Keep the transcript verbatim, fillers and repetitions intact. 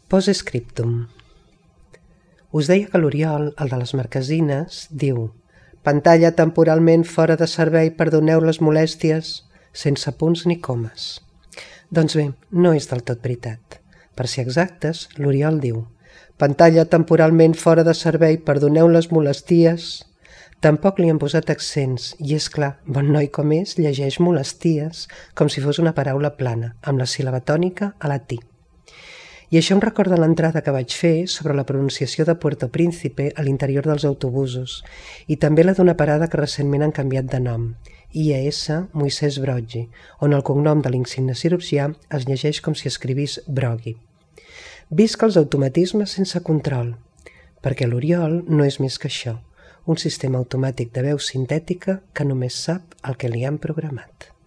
Postscriptum. Us deia que l'Oriol, el de les marquesines, diu «Pantalla temporalment fora de servei, perdoneu les molèsties», sense punts ni comes. Doncs bé, no és del tot veritat. Per ser exactes, l'Oriol diu «Pantalla temporalment fora de servei, perdoneu les molesties». Tampoc li han posat accents i, és clar, bon noi com és, llegeix molesties com si fos una paraula plana, amb la síl·laba tònica a la ti. I això em recorda l'entrada que vaig fer sobre la pronunciació de Puerto Príncipe a l'interior dels autobusos i també la d'una parada que recentment han canviat de nom, I A S Moisès Broggi, on el cognom de l'insigne cirurgià es llegeix com si escrivís Broggi. Visca els automatismes sense control, perquè l'Oriol no és més que això, un sistema automàtic de veu sintètica que només sap el que li han programat.